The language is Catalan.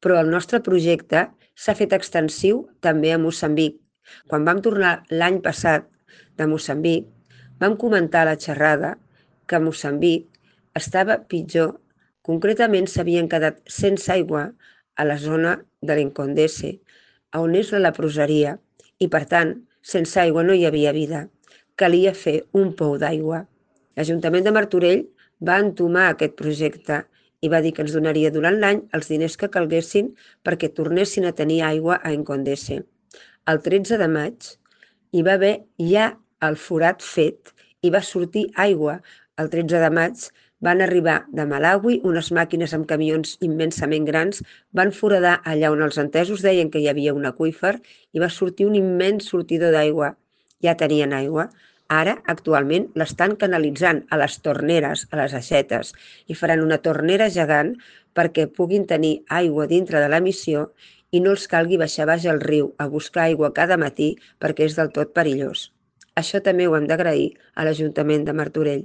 però el nostre projecte s'ha fet extensiu també a Moçambic. Quan vam tornar l'any passat de Moçambic, vam comentar a la xerrada que Moçambic estava pitjor. Concretament s'havien quedat sense aigua a la zona de l'Incondese, on és la leproseria, i per tant, sense aigua no hi havia vida. Calia fer un pou d'aigua. L'Ajuntament de Martorell va entomar aquest projecte i va dir que ens donaria durant l'any els diners que calguessin perquè tornessin a tenir aigua a Incondese. El 13 de maig hi va haver ja el forat fet i va sortir aigua. El 13 de maig van arribar de Malawi unes màquines amb camions immensament grans, van foradar allà on els entesos deien que hi havia un aqüífer i va sortir un immens sortidor d'aigua. Ja tenien aigua. Ara, actualment, l'estan canalitzant a les torneres, a les aixetes, i faran una tornera gegant perquè puguin tenir aigua dintre de la missió i no els calgui baixar baix al riu a buscar aigua cada matí perquè és del tot perillós. Això també ho hem d'agrair a l'Ajuntament de Martorell.